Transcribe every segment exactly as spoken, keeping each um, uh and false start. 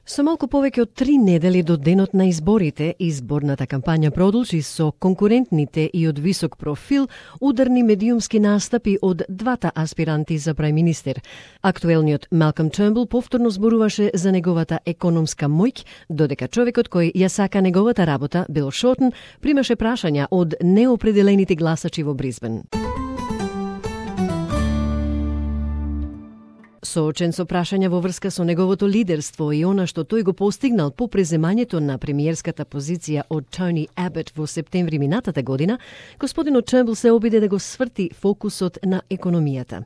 Со малку повеќе од три недели до денот на изборите, изборната кампања продолжи со конкурентните и од висок профил ударни медиумски настапи од двата аспиранти за прајминистер. Актуелниот Малком Тернбул повторно зборуваше за неговата економска моќ, додека човекот кој ја сака неговата работа, Бил Шортон, примаше прашања од неопределените гласачи во Брисбен. Соочен со прашања во врска со неговото лидерство и она што тој го постигнал по преземањето на премиерската позиција од Тони Абот во септември минатата година, господинот Тернбул се обиде да го сврти фокусот на економијата.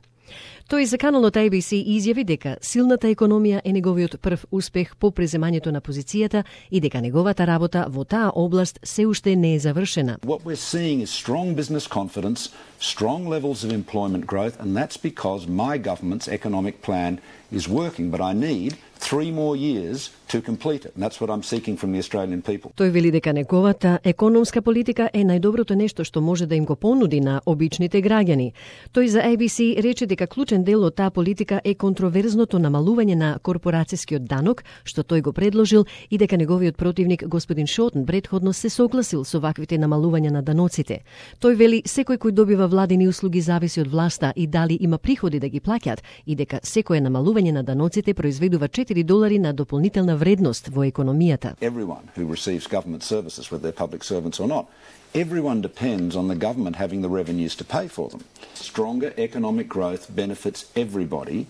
Тој за каналот A B C изјави дека силната економија е неговиот прв успех по преземањето на позицијата и дека неговата работа во таа област се уште не е завршена. What we're seeing is strong business confidence, strong levels of employment growth, and that's because my government's economic plan is working, but I need three more years to complete it. And that's what I'm seeking from the Australian people. Тој вели дека неговата економска политика е најдоброто нешто што може да им го понуди на обичните граѓани. Тој за A B C рече дека клучен дел од таа политика е контроверзното намалување на корпорацијскиот данок, што тој го предложил, и дека неговиот противник господин Шортон претходно се согласил со ваквите намалувања на даноците. Тој вели секој кој добива владини услуги зависи од власта и дали има приходи да ги плаќат, и дека секое намалување на даноците произведува четири долари на дополнителна вредност во економијата. Everyone who receives government services, whether they're public servants or not, everyone depends on the government having the revenues to pay for them. Stronger economic growth benefits everybody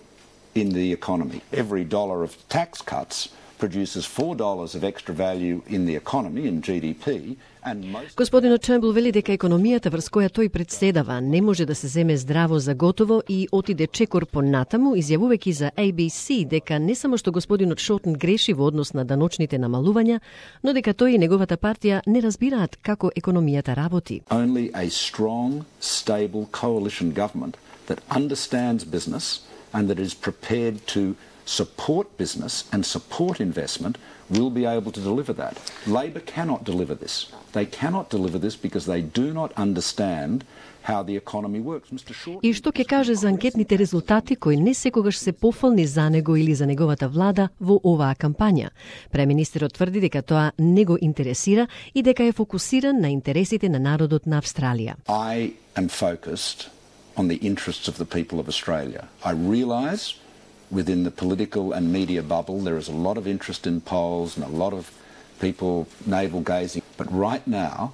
in the economy. Every dollar of tax cuts produces four dollars of extra value in the economy, in G D P. Господинот Тернбул вели дека економијата врз која тој председава не може да се земе здраво за готово и отиде чекор понатаму, изјавувајќи за A B C дека не само што господинот Шортон греши во однос на даночните намалувања, но дека тој и неговата партија не разбираат како економијата работи. Only a strong, stable coalition government that understands business and that is prepared to support business and support investment will be able to deliver that. Labor cannot deliver this. They cannot deliver this because they do not understand how the economy works. Mister Short... И што ќе каже за анкетните резултати кои не секогаш се пофални за него или за неговата влада во оваа кампања? Преминистерот тврди дека тоа не го интересира и дека е фокусиран на интересите на народот на Австралија. I am focused on the interests of the people of Australia. I realise within the political and media bubble, there is a lot of interest in polls and a lot of people navel-gazing. But right now,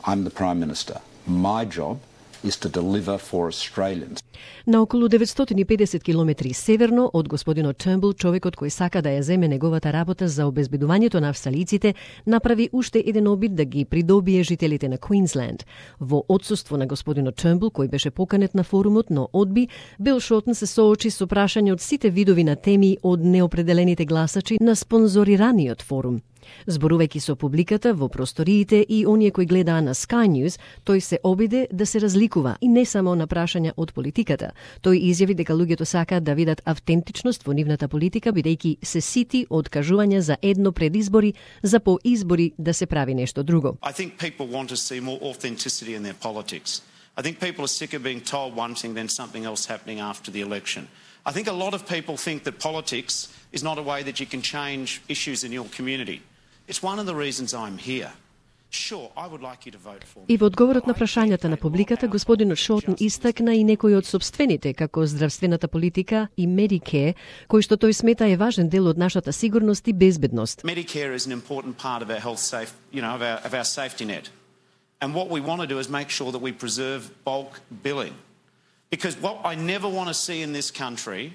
I'm the Prime Minister. My job is to deliver for Australians. На околу деветстотини и педесет километри северно од господинот Тернбул, човекот кој сака да ја земе неговата работа за обезбедувањето на австралиците, направи уште еден обид да ги придобие жителите на Квинсленд. Во отсуство на господинот Тернбул, кој беше поканет на форумот, но одби, Бил Шортон се соочи со прашање од сите видови на теми од неопределените гласачи на спонзорираниот форум. Зборувајќи со публиката во просториите и оние кои гледаа на Sky News, тој се обиде да се разликува и не само на прашања од политиката. Тој изјави дека луѓето сакаат да видат автентичност во нивната политика, бидејќи се сити од кажувања за едно пред избори, за по избори да се прави нешто друго. I think people want to see more authenticity in their politics. I think people are sick of being told one thing then something else happening after the election. I think a lot of people think that politics is not a way that you can change issues in your community. It's one of the reasons I'm here. Sure, I would like you to vote for me. И во одговорот на прашањата на публиката, господинот Шортон истакна и некои од собствените, како здравствената политика и Medicare, кој што тој смета е важен дел од нашата сигурност и безбедност. Medicare is an important part of our health safe, you know, of our, of our safety net. And what we want to do is make sure that we preserve bulk billing. Because what I never want to see in this country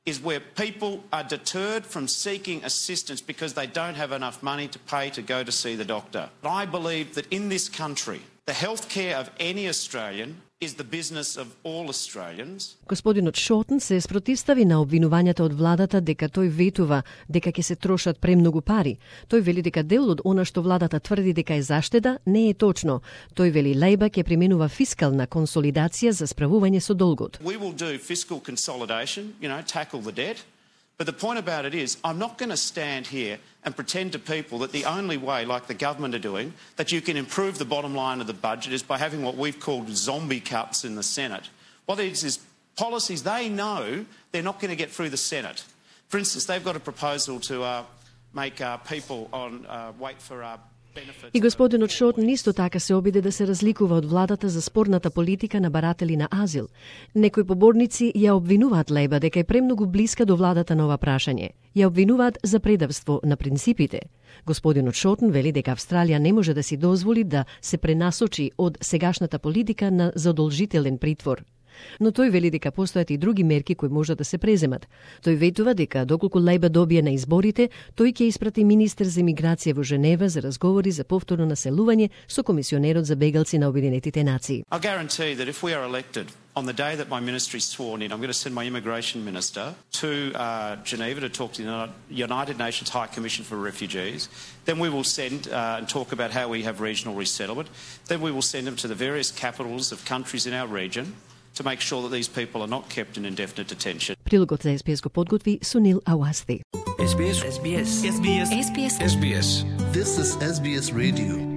is where people are deterred from seeking assistance because they don't have enough money to pay to go to see the doctor. I believe that in this country, the health care of any Australian is the business of all Australians. Господинот Шортон се спротивстави на обвинувањата од владата дека тој ветува дека ќе се трошат премногу пари. Тој вели дека дел од она што владата тврди дека е заштеда не е точно. Тој вели Лейбар ќе применува фискална консолидација за справување со долгот. We will do fiscal consolidation, you know, tackle the debt. But the point about it is, I'm not going to stand here and pretend to people that the only way, like the government are doing, that you can improve the bottom line of the budget is by having what we've called zombie cuts in the Senate. What it is is policies they know they're not going to get through the Senate. For instance, they've got a proposal to uh, make uh, people on uh, wait for uh, И господинот Шотн исто така се обиде да се разликува од владата за спорната политика на баратели на азил. Некои поборници ја обвинуваат Лейба дека е премногу блиска до владата на ова прашање. Ја обвинуваат за предавство на принципите. Господинот Шотн вели дека Австралија не може да си дозволи да се пренасочи од сегашната политика на задолжителен притвор. Но тој вели дека постојат и други мерки кои можат да се преземат. Тој ветува дека доколку Лейба добие на изборите, тој ќе испрати министер за миграција во Женева за разговори за повторно населување со комисионерот за бегалци на Обединетите нации. I guarantee that if we are elected on the day that my ministry is sworn in, I'm going to send my immigration minister to uh, Geneva to talk to the United Nations High Commission for Refugees. Then we will send uh, and talk about how we have regional resettlement. Then we will send them to the various capitals of countries in our region to make sure that these people are not kept in indefinite detention. Прилогот за Ес Би Ес го подготви Сунил Ауасти. Ес Би Ес. Ес Би Ес. Ес Би Ес. Ес Би Ес. This is Ес Би Ес Radio.